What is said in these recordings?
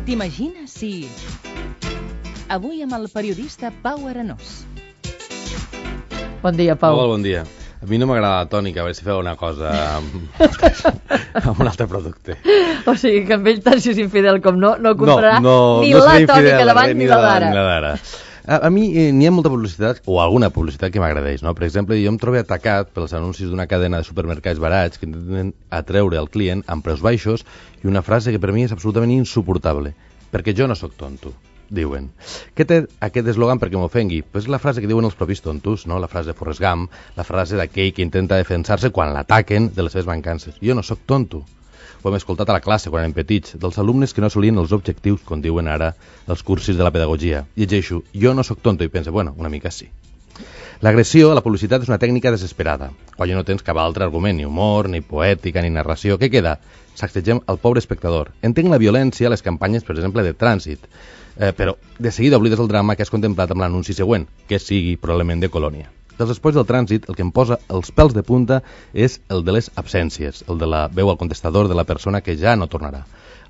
T'imagines si... Avui amb el periodista Pau Arenós. Bon dia, Pau. Hola, bon dia. A mi no m'agrada la tònica, a veure si feu una cosa amb un altre producte. O sigui, que amb ell tant si és infidel com no comprarà ni la tònica d'abans ni la d'ara. A mi n'hi ha molta publicitat, o alguna publicitat que m'agradeix, no? Per exemple, jo em trobo atacat pels anuncis d'una cadena de supermercats barats que intenten atreure al client amb preus baixos i una frase que per mi és absolutament insuportable. Perquè jo no sóc tonto, diuen. Què té aquest eslògan perquè m'ofengui? Pues la frase que diuen els propis tontos, no? La frase de Forrest Gump, la frase d'aquell que intenta defensar-se quan l'ataquen de les seves mancances. Jo no sóc tonto. Ho hem escoltat a la classe quan érem petits, dels alumnes que no assolien els objectius, com diuen ara els cursis de la pedagogia. Llegeixo, jo no sóc tonto, i penso, bueno, una mica sí. L'agressió a la publicitat és una tècnica desesperada. Quan ja no tens cap altre argument, ni humor, ni poètica, ni narració, què queda? Sacsegem el pobre espectador. Entenc la violència a les campanyes, per exemple, de trànsit, però de seguida oblides el drama que has contemplat amb l'anunci següent, que sigui probablement de colònia. Dels espais del trànsit, el que em posa els pèls de punta és el de les absències, el de la veu al contestador de la persona que ja no tornarà,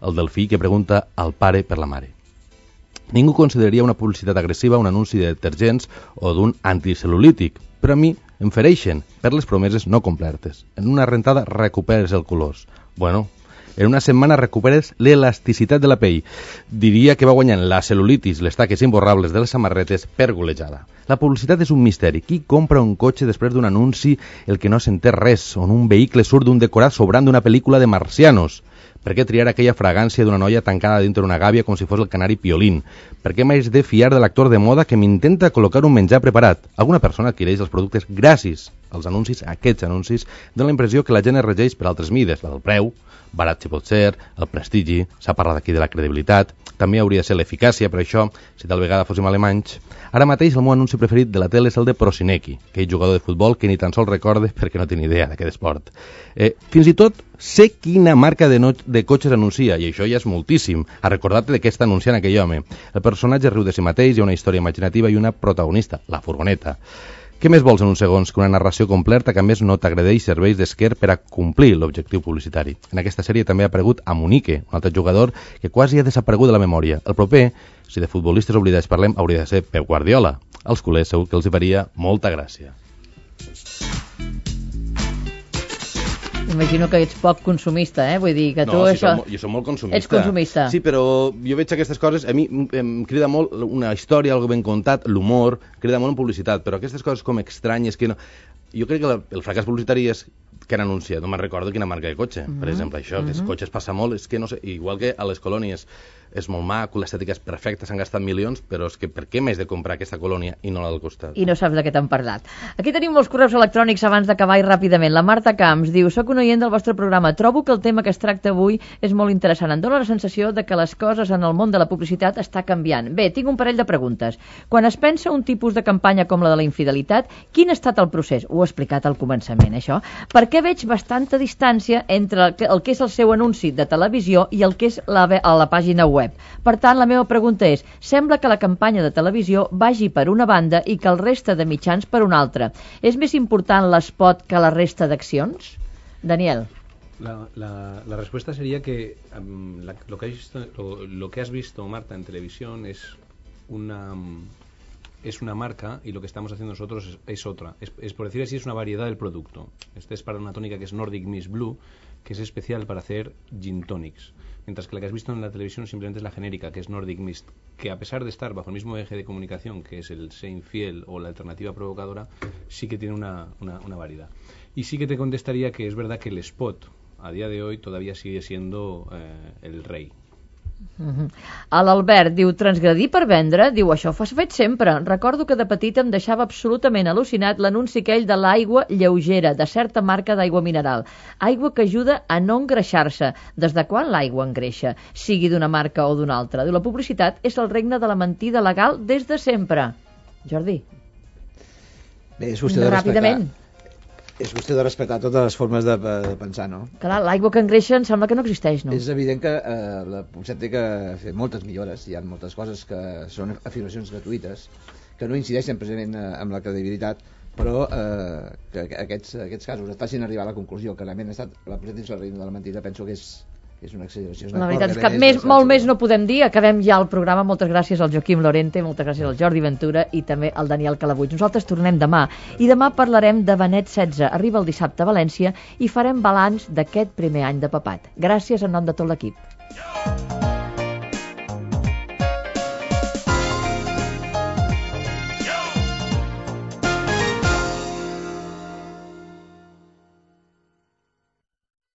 el del fill que pregunta al pare per la mare. Ningú consideraria una publicitat agressiva un anunci de detergents o d'un anticel·lulític, però a mi em fereixen per les promeses no complertes. En una rentada recuperes el colors. Bueno, en una setmana recuperes l'elasticitat de la pell. Diria que va guanyant la cel·lulitis, les taques imborrables de les samarretes per golejada. La publicitat és un misteri. Qui compra un cotxe després d'un anunci el que no s'entén res, on un vehicle surt d'un decorat sobrant d'una pel·lícula de marcianos? Per què triar aquella fragància d'una noia tancada dintre d'una gàbia com si fos el canari Piolín? Per què m'haig de fiar de l'actor de moda que m'intenta col·locar un menjar preparat? Alguna persona adquireix els productes gràcies als anuncis, a aquests anuncis, dona la impressió que la gent es regeix per altres mides, la del preu, barat si pot ser, el prestigi, s'ha parlat aquí de la credibilitat, també hauria de ser l'eficàcia, per això, si tal vegada fóssim alemanys. Ara mateix el meu anunci preferit de la tele és el de Prosinecki, aquell jugador de futbol que ni tan sols recorde perquè no té ni idea d'aquest esport. Fins i tot sé quina marca de cotxes anuncia, i això ja és moltíssim. A recordar-te de què està anunciant aquell home. El personatge riu de si mateix, hi ha una història imaginativa i una protagonista, la furgoneta. Què més vols en uns segons que una narració completa que a més no t'agredeix serveis d'esquer per a complir l'objectiu publicitari? En aquesta sèrie també ha aparegut Amunique, un altre jugador que quasi ha desaparegut de la memòria. El proper, si de futbolistes oblidats parlem, hauria de ser Pep Guardiola. Als culers segur que els hi faria molta gràcia. Imagino que ets poc consumista, Vull dir que tu això... Jo soc molt consumista. Ets consumista. Sí, però jo veig aquestes coses, a mi em crida molt una història, algo ben contat, l'humor, crida molt en publicitat, però aquestes coses com estranyes que no... Jo crec que el fracàs publicitari és que han anunciat, no me'n recordo quina marca de cotxe, per exemple, això, que els cotxes passa molt, és que no sé, igual que a les colònies és molt maco, l'estètica és perfecta, s'han gastat milions, però és que per què m'haig de comprar aquesta colònia i no la del costat? I no saps de què t'han parlat. Aquí tenim molts correus electrònics abans d'acabar i ràpidament. La Marta Camps diu, soc un oient del vostre programa, trobo que el tema que es tracta avui és molt interessant. Em dóna la sensació de que les coses en el món de la publicitat està canviant. Bé, tinc un parell de preguntes. Quan es pensa un tipus de campanya com la de la infidelitat, quin ha estat el procés? Ho he explicat al començament, això. Per què veig bastanta distància entre el que és el seu anunci de televisió i el que és a la pàgina web? Per tant, la meva pregunta és, sembla que la campanya de televisió vagi per una banda i que el resta de mitjans per una altra. És més important l'espot que la resta d'accions? Daniel. La respuesta sería que lo que has visto, Marta, en televisión es una marca y lo que estamos haciendo nosotros es otra. Es por decir así, es una variedad del producto. Este es para una tónica que es Nordic Mist Blue, que es especial para hacer gin tonics. Mientras que la que has visto en la televisión simplemente es la genérica, que es Nordic Mist, que a pesar de estar bajo el mismo eje de comunicación, que es el sé infiel o la alternativa provocadora, sí que tiene una variedad. Y sí que te contestaría que es verdad que el spot, a día de hoy, todavía sigue siendo el rey. L'Albert diu, transgredir per vendre? Diu, això ho has fet sempre. Recordo que de petit em deixava absolutament al·lucinat l'anunci aquell de l'aigua lleugera, de certa marca d'aigua mineral. Aigua que ajuda a no engreixar-se. Des de quan l'aigua engreixa? Sigui d'una marca o d'una altra. Diu, la publicitat és el regne de la mentida legal des de sempre. Jordi. Bé, és qüestió de ràpidament. És qüestió de respectar totes les formes de pensar, no? Clar, l'aigua que engreixa em sembla que no existeix, no? És evident que la publicitat té que fer moltes millores. Hi ha moltes coses que són afirmacions gratuïtes que no incideixen precisament amb la credibilitat, però que aquests casos et facin arribar a la conclusió que realment ha estat la publicitat dins el regne de la mentida, penso que és és una exageració. La veritat és que molt més no podem dir. Acabem ja el programa. Moltes gràcies al Joaquim Lorente, moltes gràcies al Jordi Ventura i també al Daniel Calabuig. Nosaltres tornem demà i demà parlarem de Benet XVI. Arriba el dissabte a València i farem balanç d'aquest primer any de papat. Gràcies en nom de tot l'equip.